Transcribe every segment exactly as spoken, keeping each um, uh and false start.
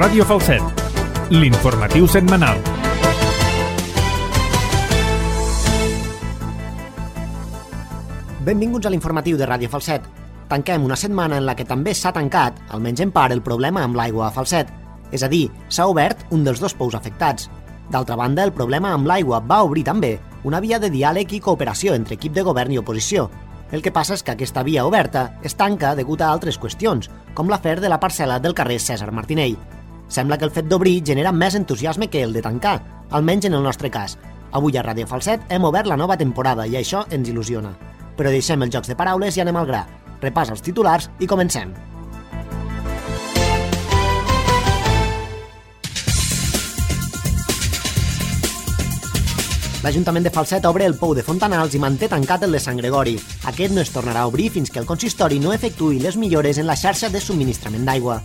Ràdio Falset, l'informatiu setmanal. Benvinguts a l'informatiu de Ràdio Falset. Tanquem una setmana en la que també s'ha tancat, almenys en part, el problema amb l'aigua a Falset. És a dir, s'ha obert un dels dos pous afectats. D'altra banda, el problema amb l'aigua va obrir també una via de diàleg i cooperació entre equip de govern i oposició. El que passa és que aquesta via oberta es tanca degut a altres qüestions, com l'afer de la parcel·la del carrer Cèsar Martinell. Sembla que el fet d'obrir genera més entusiasme que el de tancar, almenys en el nostre cas. Avui a Ràdio Falset hem obert la nova temporada i això ens il·lusiona. Però deixem els jocs de paraules i anem al gra. Repàs els titulars i comencem. L'Ajuntament de Falset obre el pou de Fontanals i manté tancat el de Sant Gregori. Aquest no es tornarà a obrir fins que el consistori no efectuï les millores en la xarxa de subministrament d'aigua.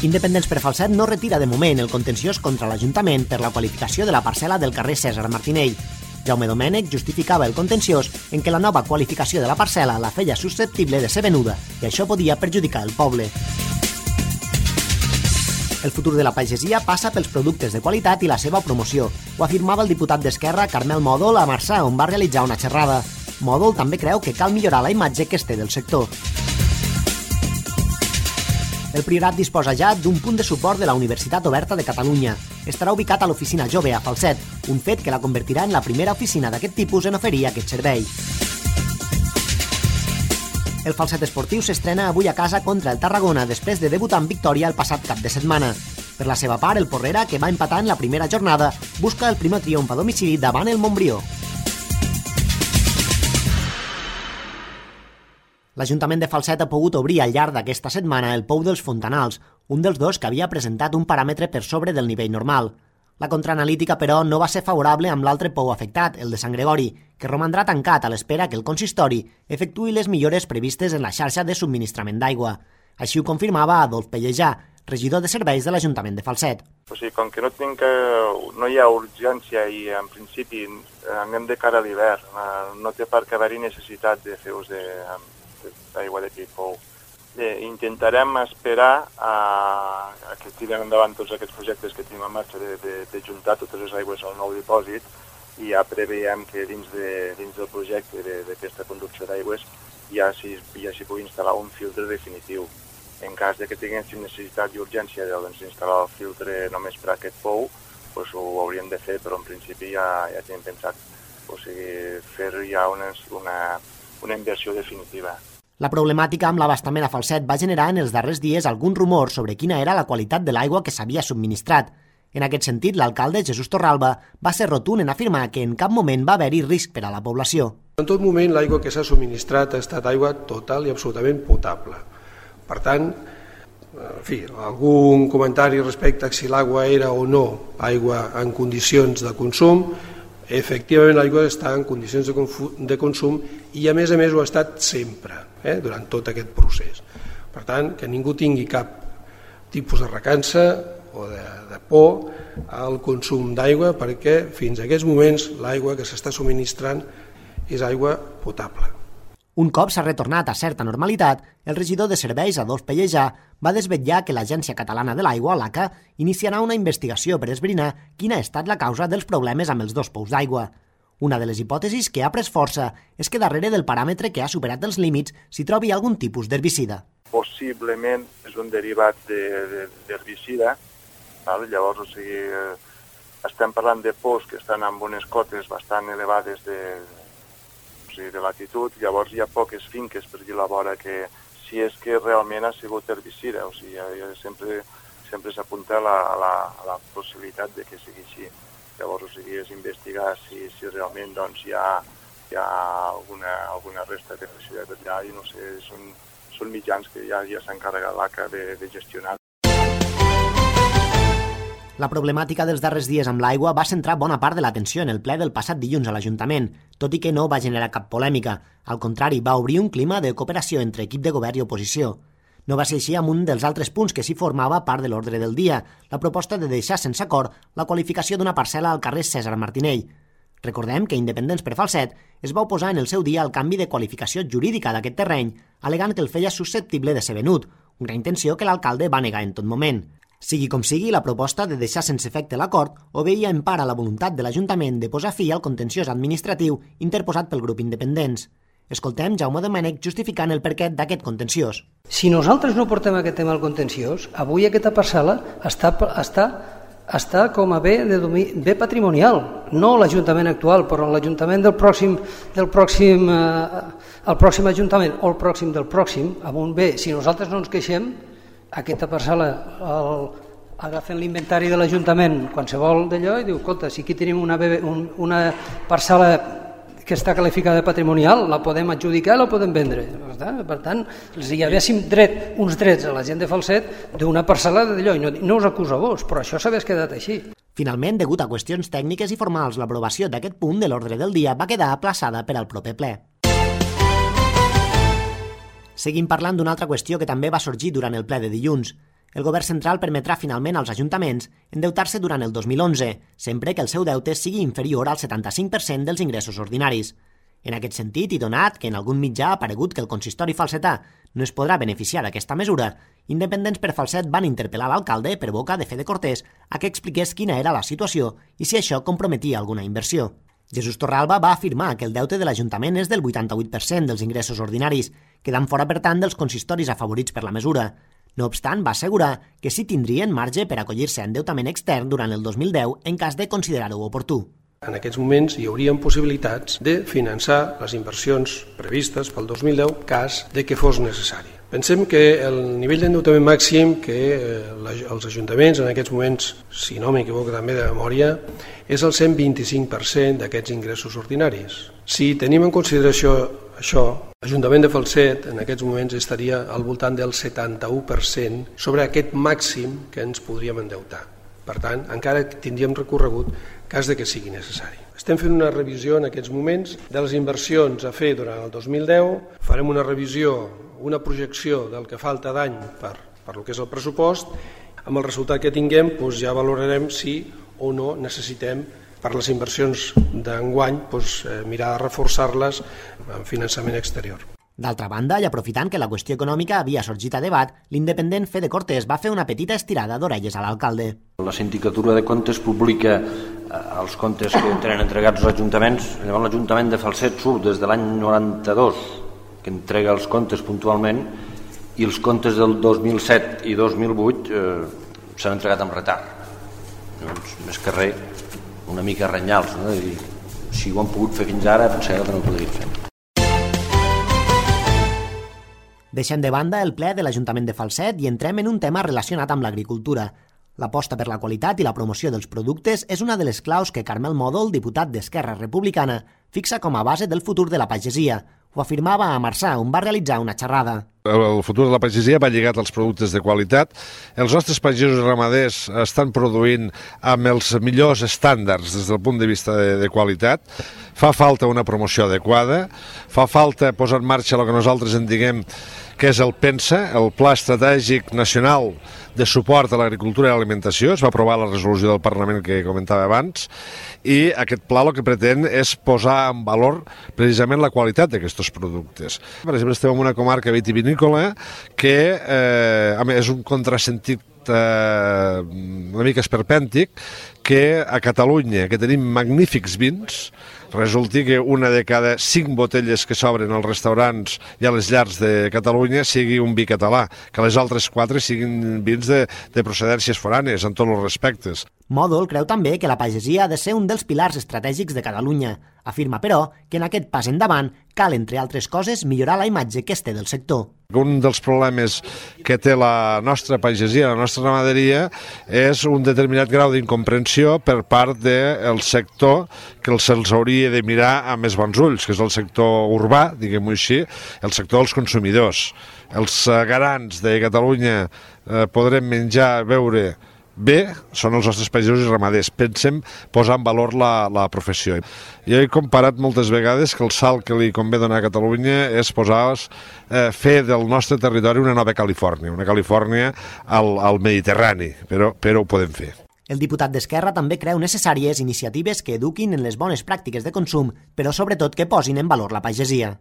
Independents per Falset no retira de moment el contenciós contra l'Ajuntament per la qualificació de la parcel·la del carrer Cèsar Martinell. Jaume Domènech justificava el contenciós en què la nova qualificació de la parcel·la la feia susceptible de ser venuda i això podia perjudicar el poble. El futur de la pagesia passa pels productes de qualitat i la seva promoció. Ho afirmava el diputat d'Esquerra Carmel Mòdol a Marçà, on va realitzar una xerrada. Mòdol també creu que cal millorar la imatge que es té del sector. El Priorat disposa ja d'un punt de suport de la Universitat Oberta de Catalunya. Estarà ubicat a l'Oficina Jove a Falset, un fet que la convertirà en la primera oficina d'aquest tipus en oferir aquest servei. El Falset Esportiu s'estrena avui a casa contra el Tarragona després de debutar en victòria el passat cap de setmana. Per la seva part, el Porrera, que va empatar en la primera jornada, busca el primer triomf a domicili davant el Montbrió. L'Ajuntament de Falset ha pogut obrir al llarg d'aquesta setmana el pou dels Fontanals, un dels dos que havia presentat un paràmetre per sobre del nivell normal. La contraanalítica, però, no va ser favorable amb l'altre pou afectat, el de Sant Gregori, que romandrà tancat a l'espera que el consistori efectuï les millores previstes en la xarxa de subministrament d'aigua. Així ho confirmava Adolf Pellejà, regidor de serveis de l'Ajuntament de Falset. O sigui, com que no, tinc que, no hi ha urgència i en principi anem de cara a l'hivern, no té per què haver-hi necessitat de fer ús de, d'aigua d'aquell pou. Eh, intentarem esperar a, a que tirem endavant tots aquests projectes que tenim en marxa de, de, de juntar totes les aigües al nou dipòsit i ja preveiem que dins, de, dins del projecte d'aquesta conducció d'aigües ja s'hi ja pugui instal·lar un filtre definitiu. En cas de que tinguéssim necessitat i urgència d'instal·lar el filtre només per a aquest pou, doncs ho hauríem de fer, però en principi ja, ja tenim pensat, o sigui, fer ja una, una, una inversió definitiva. La problemàtica amb l'abastament a Falset va generar en els darrers dies algun rumor sobre quina era la qualitat de l'aigua que s'havia subministrat. En aquest sentit, l'alcalde Jesús Torralba va ser rotund en afirmar que en cap moment va haver-hi risc per a la població. En tot moment l'aigua que s'ha subministrat ha estat aigua total i absolutament potable. Per tant, en fi, algun comentari respecte a si l'aigua era o no aigua en condicions de consum, efectivament l'aigua està en condicions de, de consum i a més a més ho ha estat sempre, eh, durant tot aquest procés. Per tant, que ningú tingui cap tipus de recança o de, de por al consum d'aigua perquè fins a aquests moments l'aigua que s'està subministrant és aigua potable. Un cop s'ha retornat a certa normalitat, el regidor de serveis, Adolf Pellejà, va desvetllar que l'Agència Catalana de l'Aigua, l'A C A, iniciarà una investigació per esbrinar quina ha estat la causa dels problemes amb els dos pous d'aigua. Una de les hipòtesis que ha pres força és que darrere del paràmetre que ha superat els límits s'hi trobi algun tipus d'herbicida. Possiblement és un derivat d'herbicida, de, llavors o sigui, estem parlant de pous que estan amb unes cotes bastant elevades de de latitud, llavors hi ha poques finques per dir la vora que si és que realment ha sigut herbicida, o sigui, sempre, sempre s'apunta a la, a, la, a la possibilitat de que sigui així. Llavors, o sigui, és investigar si, si realment doncs, hi ha, hi ha alguna, alguna resta d'herbicida allà i no sé, són, són mitjans que ja, ja s'ha encarregat l'A C A de, de gestionar. La problemàtica dels darrers dies amb l'aigua va centrar bona part de l'atenció en el ple del passat dilluns a l'Ajuntament, tot i que no va generar cap polèmica. Al contrari, va obrir un clima de cooperació entre equip de govern i oposició. No va ser així amb un dels altres punts que s'hi formava part de l'ordre del dia, la proposta de deixar sense acord la qualificació d'una parcel·la al carrer Cèsar Martinell. Recordem que Independents per Falset es va oposar en el seu dia al canvi de qualificació jurídica d'aquest terreny, alegant que el feia susceptible de ser venut, una intenció que l'alcalde va negar en tot moment. Sigui com sigui, la proposta de deixar sense efecte l'acord obeïa en part a la voluntat de l'Ajuntament de posar fi al contenciós administratiu interposat pel grup Independents. Escoltem Jaume Domènech justificant el perquè d'aquest contenciós. Si nosaltres no portem aquest tema al contenciós, avui aquesta parcel·la està, està, està com a bé, de domi, bé patrimonial, no l'Ajuntament actual, però l'Ajuntament del pròxim, del pròxim, eh, el pròxim Ajuntament o el pròxim del pròxim, amb un bé, si nosaltres no ens queixem, aquesta parcel·la el, agafen l'inventari de l'Ajuntament qualsevol d'allò i diu, escolta, si aquí tenim una, un, una parcel·la que està qualificada de patrimonial, la podem adjudicar i la podem vendre. Per tant, els hi havéssim dret, uns drets a la gent de Falset d'una parcel·la d'allò, i no, no us acuso a vos, però això s'hagués quedat així. Finalment, degut a qüestions tècniques i formals, l'aprovació d'aquest punt de l'ordre del dia va quedar aplaçada per al proper ple. Seguim parlant d'una altra qüestió que també va sorgir durant el ple de dilluns. El govern central permetrà finalment als ajuntaments endeutar-se durant el dos mil onze, sempre que el seu deute sigui inferior al setanta-cinc per cent dels ingressos ordinaris. En aquest sentit, i donat que en algun mitjà ha aparegut que el consistori falsetà no es podrà beneficiar d'aquesta mesura, Independents per Falset van interpel·lar l'alcalde per boca de Fede Cortés a que expliqués quina era la situació i si això comprometia alguna inversió. Jesús Torralba va afirmar que el deute de l'Ajuntament és del vuitanta-vuit per cent dels ingressos ordinaris, quedant fora, per tant, dels consistoris afavorits per la mesura. No obstant, va assegurar que sí tindrien marge per acollir-se a endeutament extern durant el dos mil deu en cas de considerar-ho oportú. En aquests moments hi haurien possibilitats de finançar les inversions previstes pel dos mil deu cas de que fos necessari. Pensem que el nivell d'endeutament màxim que els ajuntaments en aquests moments, si no m'equivoco també de memòria, és el cent vint-i-cinc per cent d'aquests ingressos ordinaris. Si tenim en consideració això, l'Ajuntament de Falset en aquests moments estaria al voltant del setanta-u per cent sobre aquest màxim que ens podríem endeutar. Per tant, encara tindríem recorregut cas de que sigui necessari. Estem fent una revisió en aquests moments de les inversions a fer durant el dos mil deu, farem una revisió, una projecció del que falta d'any per, per lo que és el pressupost. Amb el resultat que tinguem doncs ja valorarem si o no necessitem per les inversions d'enguany doncs, eh, mirar de reforçar-les amb finançament exterior. D'altra banda, i aprofitant que la qüestió econòmica havia sorgit a debat, l'independent Fede Cortés va fer una petita estirada d'orelles a l'alcalde. La Sindicatura de Comptes publica els comptes que tenen entregats als ajuntaments. Llavors l'Ajuntament de Falset surt des de l'any noranta-dos, que entrega els comptes puntualment, i els comptes del dos mil set i dos mil vuit eh, s'han entregat amb retard. Llavors, més que res, una mica renyals, no? I si ho han pogut fer fins ara, pensava que no ho podrien fer. Deixem de banda el ple de l'Ajuntament de Falset i entrem en un tema relacionat amb l'agricultura. L'aposta per la qualitat i la promoció dels productes és una de les claus que Carmel Mòdol, diputat d'Esquerra Republicana, fixa com a base del futur de la pagesia. Ho afirmava a Marçà, on va realitzar una xerrada. El futur de la pagesia va lligat als productes de qualitat. Els nostres pagesos i ramaders estan produint amb els millors estàndards des del punt de vista de, de qualitat. Fa falta una promoció adequada, fa falta posar en marxa el que nosaltres en diguem que és el PENSA, el Pla Estratègic Nacional de Suport a l'Agricultura i l'Alimentació. Es va aprovar la resolució del Parlament que comentava abans, i aquest pla el que pretén és posar en valor precisament la qualitat d'aquests productes. Per exemple, estem en una comarca vitivinícola que eh, és un contrasentit eh, una mica esperpèntic, que a Catalunya, que tenim magnífics vins, resulti que una de cada cinc botelles que s'obren als restaurants i a les llars de Catalunya sigui un vi català, que les altres quatre siguin vins de, de procedències foranes, en tots els respectes. Mòdol creu també que la pagesia ha de ser un dels pilars estratègics de Catalunya. Afirma, però, que en aquest pas endavant cal, entre altres coses, millorar la imatge que es té del sector. Un dels problemes que té la nostra pagesia, la nostra ramaderia, és un determinat grau d'incomprensió per part del sector que se'ls hauria de mirar amb més bons ulls, que és el sector urbà, diguem-ho així, el sector dels consumidors. Els garants de Catalunya eh, podrem menjar, beure bé, són els nostres pagesos i ramaders. Pensem posar en valor la, la professió. Jo he comparat moltes vegades que el salt que li convé donar a Catalunya és posar, eh, fer del nostre territori una nova Califòrnia, una Califòrnia al, al Mediterrani, però, però ho podem fer. El diputat d'Esquerra també creu necessàries iniciatives que eduquin en les bones pràctiques de consum, però sobretot que posin en valor la pagesia.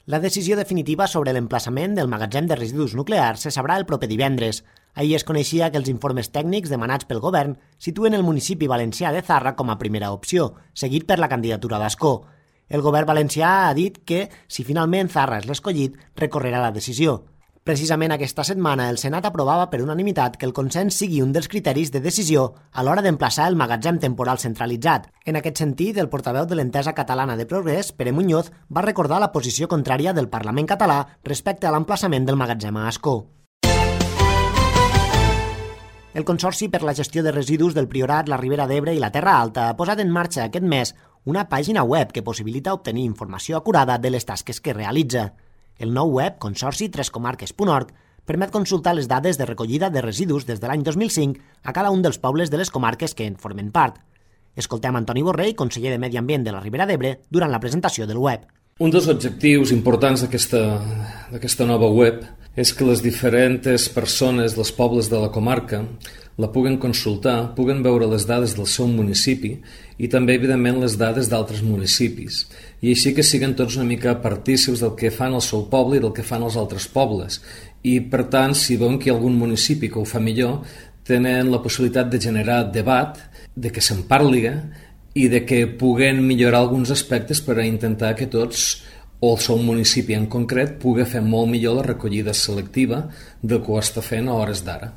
La decisió definitiva sobre l'emplaçament del magatzem de residus nuclears se sabrà el proper divendres. Ahir es coneixia que els informes tècnics demanats pel govern situen el municipi valencià de Zarra com a primera opció, seguit per la candidatura d'Ascó. El govern valencià ha dit que, si finalment Zarra és l'escollit, recorrerà la decisió. Precisament aquesta setmana el Senat aprovava per unanimitat que el consens sigui un dels criteris de decisió a l'hora d'emplaçar el magatzem temporal centralitzat. En aquest sentit, el portaveu de l'Entesa Catalana de Progrés, Pere Muñoz, va recordar la posició contrària del Parlament català respecte a l'emplaçament del magatzem a Ascó. El Consorci per la Gestió de Residus del Priorat, la Ribera d'Ebre i la Terra Alta ha posat en marxa aquest mes una pàgina web que possibilita obtenir informació acurada de les tasques que realitza. El nou web, consorci tres comarques punt org, permet consultar les dades de recollida de residus des de l'any dos mil cinc a cada un dels pobles de les comarques que en formen part. Escoltem Antoni Borrell, conseller de Medi Ambient de la Ribera d'Ebre, durant la presentació del web. Un dels objectius importants d'aquesta nova web és que les diferents persones dels pobles de la comarca la puguen consultar, puguen veure les dades del seu municipi i també, evidentment, les dades d'altres municipis. I així que siguen tots una mica partícips del que fan el seu poble i del que fan els altres pobles. I, per tant, si veuen que hi ha algun municipi que ho fa millor, tenen la possibilitat de generar debat, de que se'n parli i de que puguen millorar alguns aspectes per a intentar que tots, o el seu municipi en concret, pugui fer molt millor la recollida selectiva del que ho està fent a hores d'ara.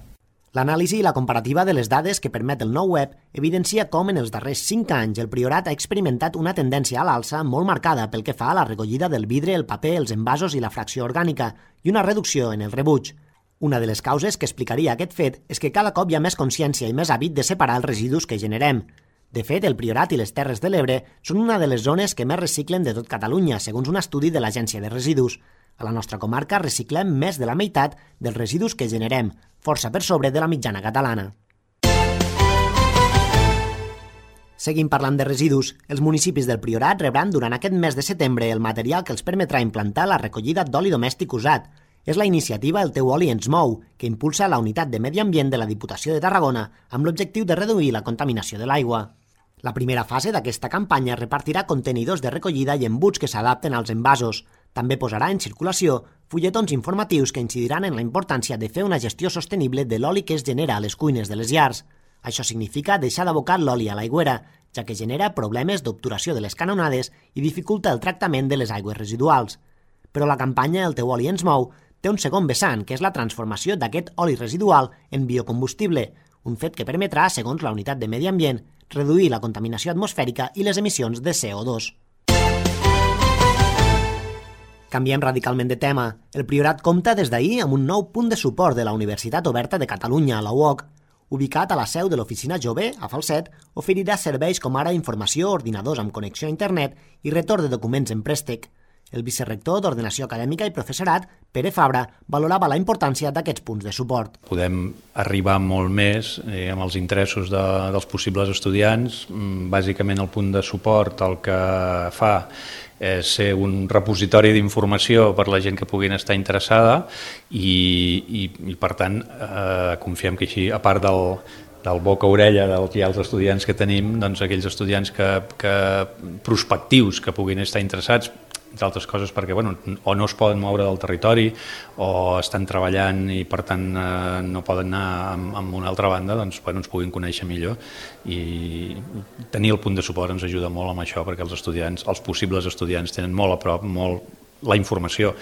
L'anàlisi i la comparativa de les dades que permet el nou web evidencia com en els darrers cinc anys el Priorat ha experimentat una tendència a l'alça molt marcada pel que fa a la recollida del vidre, el paper, els envasos i la fracció orgànica, i una reducció en el rebuig. Una de les causes que explicaria aquest fet és que cada cop hi ha més consciència i més hàbit de separar els residus que generem. De fet, el Priorat i les Terres de l'Ebre són una de les zones que més reciclen de tot Catalunya, segons un estudi de l'Agència de Residus. A la nostra comarca reciclem més de la meitat dels residus que generem, força per sobre de la mitjana catalana. Seguim parlant de residus. Els municipis del Priorat rebran durant aquest mes de setembre el material que els permetrà implantar la recollida d'oli domèstic usat. És la iniciativa El teu oli ens mou, que impulsa la Unitat de Medi Ambient de la Diputació de Tarragona amb l'objectiu de reduir la contaminació de l'aigua. La primera fase d'aquesta campanya repartirà contenidors de recollida i embuts que s'adapten als envasos. També posarà en circulació fulletons informatius que incidiran en la importància de fer una gestió sostenible de l'oli que es genera a les cuines de les llars. Això significa deixar d'abocar l'oli a l'aigüera, ja que genera problemes d'obturació de les canonades i dificulta el tractament de les aigües residuals. Però la campanya El teu oli ens mou té un segon vessant, que és la transformació d'aquest oli residual en biocombustible, un fet que permetrà, segons la Unitat de Medi Ambient, reduir la contaminació atmosfèrica i les emissions de C O dos. Canviem radicalment de tema. El Priorat compta des d'ahir amb un nou punt de suport de la Universitat Oberta de Catalunya, la U O C. Ubicat a la seu de l'Oficina Jove, a Falset, oferirà serveis com ara informació, ordinadors amb connexió a internet i retorn de documents en préstec. El vicerrector d'Ordenació Acadèmica i Professorat, Pere Fabra, valorava la importància d'aquests punts de suport. Podem arribar molt més eh, amb els interessos de, dels possibles estudiants. Bàsicament el punt de suport el que fa és ser un repositori d'informació per la gent que puguin estar interessada i, i, i per tant, eh, confiem que així, a part del, del boca-orella dels ja els estudiants que tenim, doncs aquells estudiants que, que prospectius que puguin estar interessats, entre altres coses perquè bueno, o no es poden moure del territori o estan treballant i per tant eh, no poden anar amb, amb una altra banda, doncs bueno, ens puguin conèixer millor i tenir el punt de suport ens ajuda molt amb això perquè els estudiants, els possibles estudiants tenen molt a prop molt la informació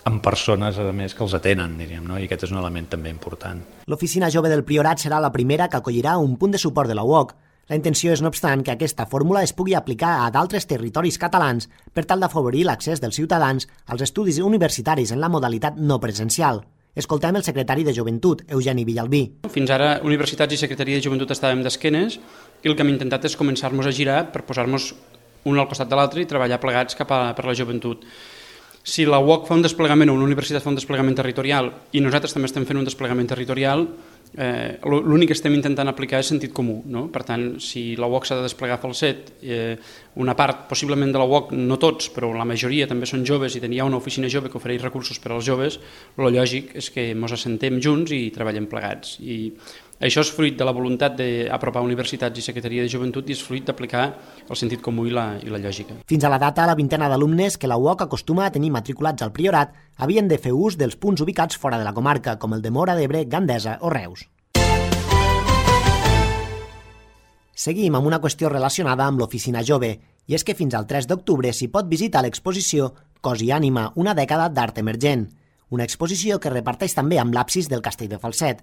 amb persones, a més, que els atenen, diríem, no? I aquest és un element també important. L'Oficina Jove del Priorat serà la primera que acollirà un punt de suport de la U O C. La intenció és, no obstant, que aquesta fórmula es pugui aplicar a d'altres territoris catalans per tal d'afavorir l'accés dels ciutadans als estudis universitaris en la modalitat no presencial. Escoltem el secretari de Joventut, Eugeni Villalbí. Fins ara, universitats i secretaria de Joventut estàvem d'esquenes i el que hem intentat és començar-nos a girar per posar-nos un al costat de l'altre i treballar plegats cap a per la joventut. Si la U O C fa un desplegament o una universitat fa un desplegament territorial i nosaltres també estem fent un desplegament territorial, eh, l'únic que estem intentant aplicar és sentit comú. No? Per tant, si la U O C s'ha de desplegar a Falset, eh, una part possiblement de la U O C, no tots, però la majoria també són joves i tenia una oficina jove que ofereix recursos per als joves, el lògic és que ens assentem junts i treballem plegats. I això és fruit de la voluntat d'apropar universitats i Secretaria de Joventut i és fruit d'aplicar el sentit comú i la, i la lògica. Fins a la data, la vintena d'alumnes que la U O C acostuma a tenir matriculats al Priorat havien de fer ús dels punts ubicats fora de la comarca, com el de Móra d'Ebre, Gandesa o Reus. Seguim amb una qüestió relacionada amb l'Oficina Jove, i és que fins al tres d'octubre s'hi pot visitar l'exposició Cos i ànima, una dècada d'art emergent, una exposició que reparteix també amb l'absis del Castell de Falset.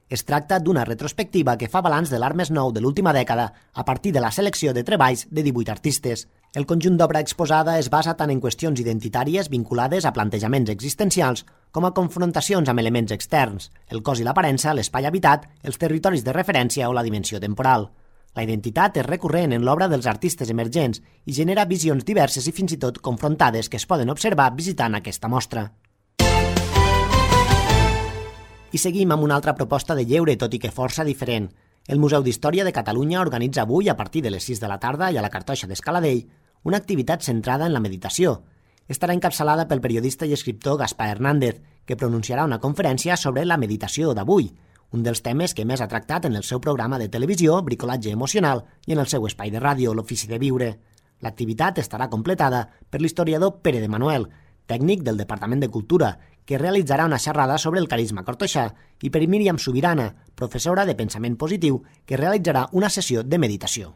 Es tracta d'una retrospectiva que fa balanç de l'art més nou de l'última dècada a partir de la selecció de treballs de divuit artistes. El conjunt d'obra exposada es basa tant en qüestions identitàries vinculades a plantejaments existencials com a confrontacions amb elements externs, el cos i l'aparença, l'espai habitat, els territoris de referència o la dimensió temporal. La identitat és recurrent en l'obra dels artistes emergents i genera visions diverses i fins i tot confrontades que es poden observar visitant aquesta mostra. I seguim amb una altra proposta de lleure, tot i que força diferent. El Museu d'Història de Catalunya organitza avui, a partir de les sis de la tarda i a la Cartoixa d'Escaladell, una activitat centrada en la meditació. Estarà encapçalada pel periodista i escriptor Gaspar Hernández, que pronunciarà una conferència sobre la meditació d'avui, un dels temes que més ha tractat en el seu programa de televisió, Bricolatge emocional, i en el seu espai de ràdio, l'Ofici de Viure. L'activitat estarà completada per l'historiador Pere de Manuel, tècnic del Departament de Cultura, que realitzarà una xerrada sobre el carisma cartoixà, i per Míriam Subirana, professora de pensament positiu, que realitzarà una sessió de meditació.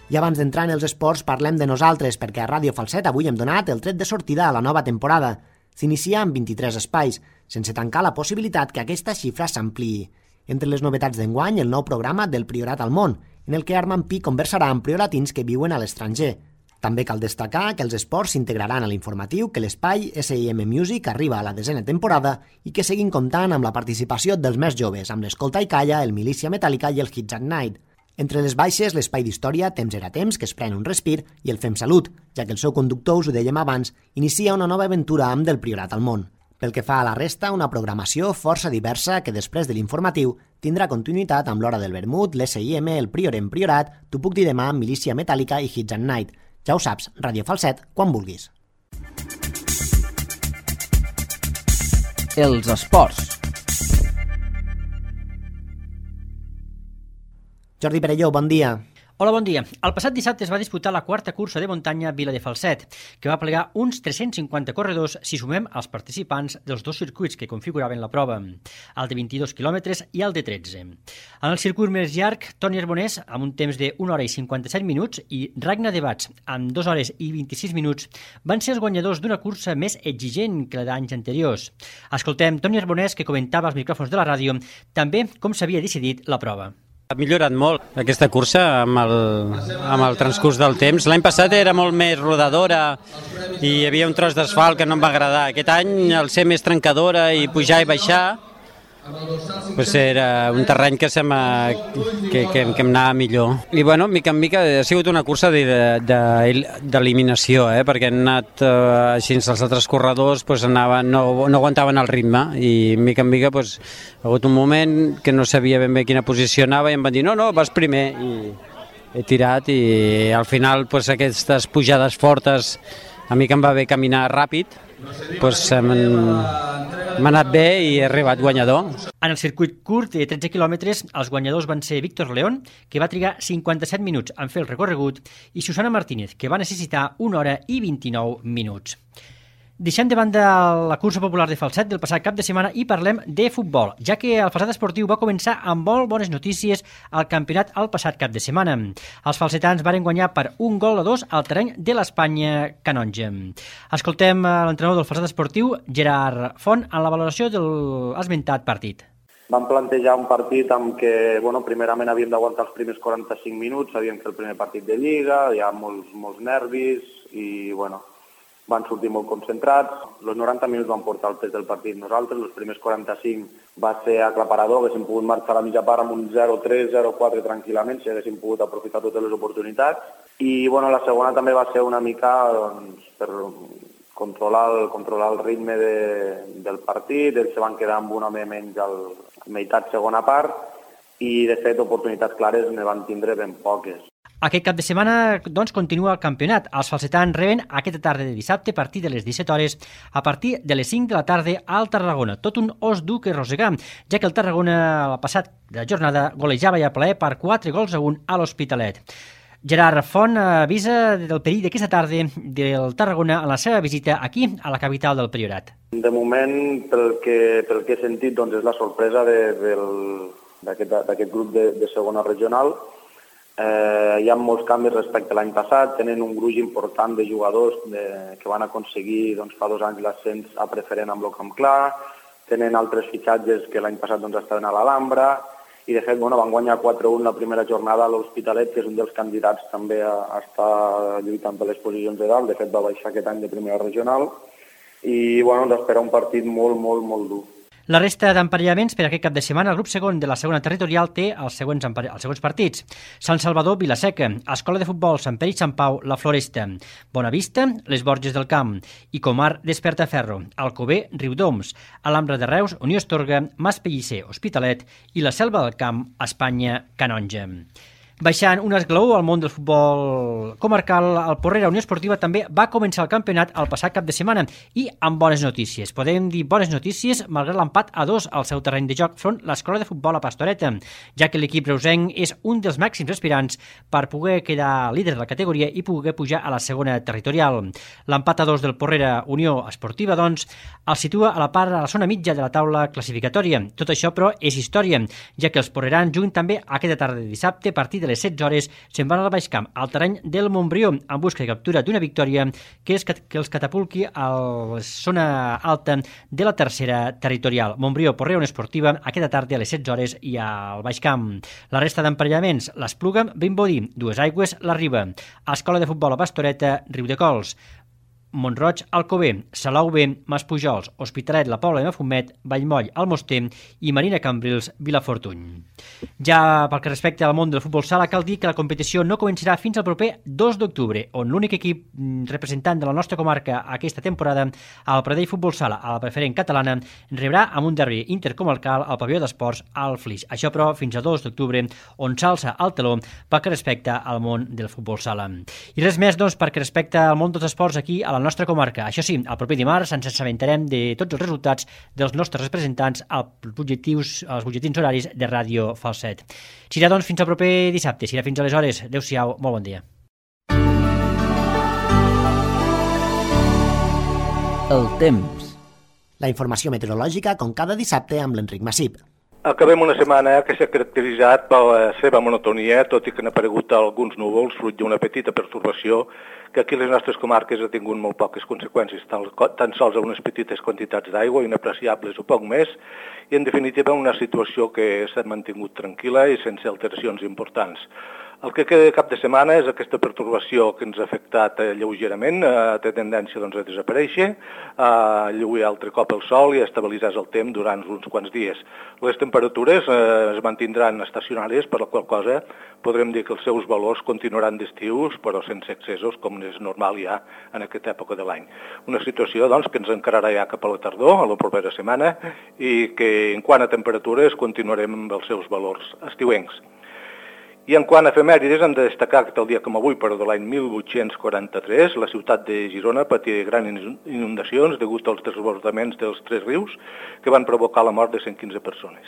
I abans d'entrar en els esports parlem de nosaltres, perquè a Ràdio Falset avui hem donat el tret de sortida a la nova temporada. S'inicia amb vint-i-tres espais, sense tancar la possibilitat que aquesta xifra s'ampliï. Entre les novetats d'enguany, el nou programa del Priorat al món, en el que Armand Pi conversarà amb prioratins que viuen a l'estranger. També cal destacar que els esports s'integraran a l'informatiu, que l'espai S I M Music arriba a la desena temporada i que seguim comptant amb la participació dels més joves, amb l'Escolta i Calla, el Milícia Metàl·lica i el Hits at Night. Entre les baixes, l'espai d'història Temps era temps, que es pren un respir, i el Fem Salut, ja que el seu conductor, us ho dèiem abans, inicia una nova aventura amb del Priorat al món. Pel que fa a la resta, una programació força diversa que després de l'informatiu tindrà continuïtat amb l'Hora del Vermut, l'S I M, el Prior en Priorat, T'ho puc dir demà, Milícia Metàl·lica i Hits at Night. Ja ho saps, Ràdio Falset, quan vulguis. Els esports. Jordi Perelló, bon dia. Hola, bon dia. El passat dissabte es va disputar la quarta cursa de muntanya Vila de Falset, que va plegar uns tres-cents cinquanta corredors si sumem els participants dels dos circuits que configuraven la prova, el de vint-i-dos quilòmetres i el de tretze. En el circuit més llarg, Toni Arbonès, amb un temps de una hora i cinquanta-set minuts, i Ragnar de Bats, amb dues hores i vint-i-sis minuts, van ser els guanyadors d'una cursa més exigent que la d'anys anteriors. Escoltem Toni Arbonès, que comentava als micròfons de la ràdio també com s'havia decidit la prova. Ha millorat molt aquesta cursa amb el, amb el transcurs del temps. L'any passat era molt més rodadora i hi havia un tros d'asfalt que no em va agradar. Aquest any, al ser més trencadora i pujar i baixar, pues era un terreny que, se que, que, que em anava millor. I bueno, mica en mica ha sigut una cursa d'eliminació, eh? Perquè han anat eh, així els altres corredors pues, anaven, no, no aguantaven el ritme i mica en mica pues, ha hagut un moment que no sabia ben bé quina posició anava i em van dir no, no, vas primer i he tirat i al final pues, aquestes pujades fortes a mi que em va bé caminar ràpid pues, m'ha anat bé i he arribat guanyador. En el circuit curt de tretze quilòmetres, els guanyadors van ser Víctor León, que va trigar cinquanta-set minuts en fer el recorregut, i Susana Martínez, que va necessitar una hora i vint-i-nou minuts. Deixem de banda la cursa popular de Falset del passat cap de setmana i parlem de futbol, ja que el Falset Esportiu va començar amb molt bones notícies al campionat el passat cap de setmana. Els falsetans varen guanyar per un gol a dos al terreny de l'Espanya Canonja. Escoltem l'entrenador del Falset Esportiu, Gerard Font, en la valoració de l'esmentat partit. Vam plantejar un partit amb què, bueno, primerament havíem d'aguantar els primers quaranta-cinc minuts, havíem fet el primer partit de Lliga, hi ha molts, molts nervis i, bueno, van sortir molt concentrats. Els noranta minuts van portar el pes del partit nosaltres, els primers quaranta-cinc va ser aclaparador, haguéssim pogut marxar a la mitja part amb un zero tres, zero quatre tranquil·lament, si haguéssim pogut aprofitar totes les oportunitats. I bueno, la segona també va ser una mica doncs, per controlar el, controlar el ritme de, del partit, ells se van quedar amb un home menys a la meitat segona part i de fet oportunitats clares ne van tindre ben poques. Aquest cap de setmana doncs, continua el campionat. Els falsetans reben aquesta tarda de dissabte a partir de les disset hores a partir de les cinc de la tarda al Tarragona. Tot un os dur que rosegar, ja que el Tarragona la passat de jornada golejava i a plaer per quatre gols a un a l'Hospitalet. Gerard Font avisa del perill d'aquesta tarda del Tarragona en la seva visita aquí a la capital del Priorat. De moment, pel que, pel que he sentit, doncs és la sorpresa d'aquest grup de, de segona regional. Eh, hi ha molts canvis respecte a l'any passat, tenen un gruix important de jugadors de, que van aconseguir doncs, fa dos anys l'ascens a preferent amb el Camp Clar, tenen altres fitxatges que l'any passat doncs, estaven a l'Alhambra, i de fet bueno, van guanyar quatre a un la primera jornada a l'Hospitalet, que és un dels candidats també a, a estar lluitant per les posicions de dalt, de fet va baixar aquest any de primera regional, i bueno, ens espera un partit molt, molt, molt dur. La resta d'emparellaments per aquest cap de setmana, el grup segon de la segona territorial té els següents, els següents partits. Sant Salvador, Vilaseca, Escola de Futbol, Sant Pere i Sant Pau, La Floresta, Bonavista, Les Borges del Camp i Comar, Despertaferro, Alcover, Riudoms, Alhambra de Reus, Unió Estorga, Mas Pellicer, Hospitalet i la Selva del Camp, Espanya, Canonja. Baixant un esglaó al món del futbol comarcal, el Porrera Unió Esportiva també va començar el campionat el passat cap de setmana i amb bones notícies. Podem dir bones notícies malgrat l'empat a dos al seu terreny de joc front l'Escola de Futbol a Pastoreta, ja que l'equip reusenc és un dels màxims aspirants per poder quedar líder de la categoria i poder pujar a la segona territorial. L'empat a dos del Porrera Unió Esportiva, doncs, el situa a la part a la zona mitja de la taula classificatòria. Tot això, però, és història, ja que els porrerans juguen també aquesta tarda de dissabte a partir de les setze hores se'n van al Baix Camp, al terreny del Montbrió, en busca de captura d'una victòria que, és, que els catapulqui a la zona alta de la tercera territorial. Montbrió, Porrera Unió Esportiva, aquesta tarda a les setze hores i al Baix Camp. La resta d'emparellaments, l'Espluga, Vimbodí, Dues Aigües, la Riba, Escola de Futbol a Pastoreta, Riudecols, Montroig, Alcover, Salou B, Maspujols, Hospitalet, la Pobla de Mafumet, Vallmoll, Almoster i Marina Cambrils, Vilafortuny. Ja pel que respecta al món del futbol sala, cal dir que la competició no començarà fins al proper dos d'octubre, on l'únic equip representant de la nostra comarca aquesta temporada, el Pradell Futbol Sala, a la preferent catalana, rebrà amb un derbi intercomarcal al pavelló d'esports al Flix. Això, però, fins a dos d'octubre, on s'alça el teló pel que respecta al món del futbol sala. I res més, doncs, perquè respecta al món dels esports aquí a la nostra comarca. Això sí, el proper dimarts ens assabentarem de tots els resultats dels nostres representants als objectius, als butlletins horaris de Ràdio Falset. Serà, doncs, fins al proper dissabte. Serà fins aleshores. Adéu-siau, molt bon dia. El temps. La informació meteorològica com cada dissabte amb l'Enric Massip. Acabem una setmana que s'ha caracteritzat per la seva monotonia, tot i que han aparegut alguns núvols, fruit d'una petita pertorbació que aquí a les nostres comarques ha tingut molt poques conseqüències, tan sols a unes petites quantitats d'aigua, inapreciables o poc més, i en definitiva una situació que s'ha mantingut tranquil·la i sense alteracions importants. El que queda de cap de setmana és aquesta pertorbació que ens ha afectat lleugerament, eh, té tendència doncs, a desaparèixer, a lluir altre cop el sol i a estabilitzar el temps durant uns quants dies. Les temperatures eh, es mantindran estacionàries, per la qual cosa podrem dir que els seus valors continuaran d'estius, però sense excessos, com és normal ja en aquesta època de l'any. Una situació doncs, que ens encararà ja cap a la tardor, a la propera setmana, i que en quant a temperatures continuarem amb els seus valors estiuencs. I en quant a efemèrides, hem de destacar que el dia com avui, però de l'any mil vuit-cents quaranta-tres, la ciutat de Girona patia grans inundacions degut als desbordaments dels tres rius que van provocar la mort de cent quinze persones.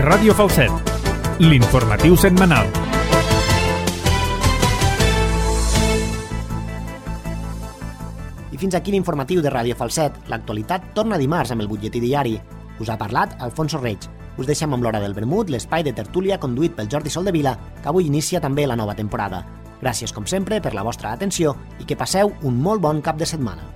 Ràdio Falset, l'informatiu setmanal. I fins aquí l'informatiu de Ràdio Falset. L'actualitat torna dimarts amb el butlletí diari. Us ha parlat Alfonso Reig. Us deixem amb l'Hora del Vermut, l'espai de tertúlia conduït pel Jordi Soldevila, que avui inicia també la nova temporada. Gràcies, com sempre, per la vostra atenció i que passeu un molt bon cap de setmana.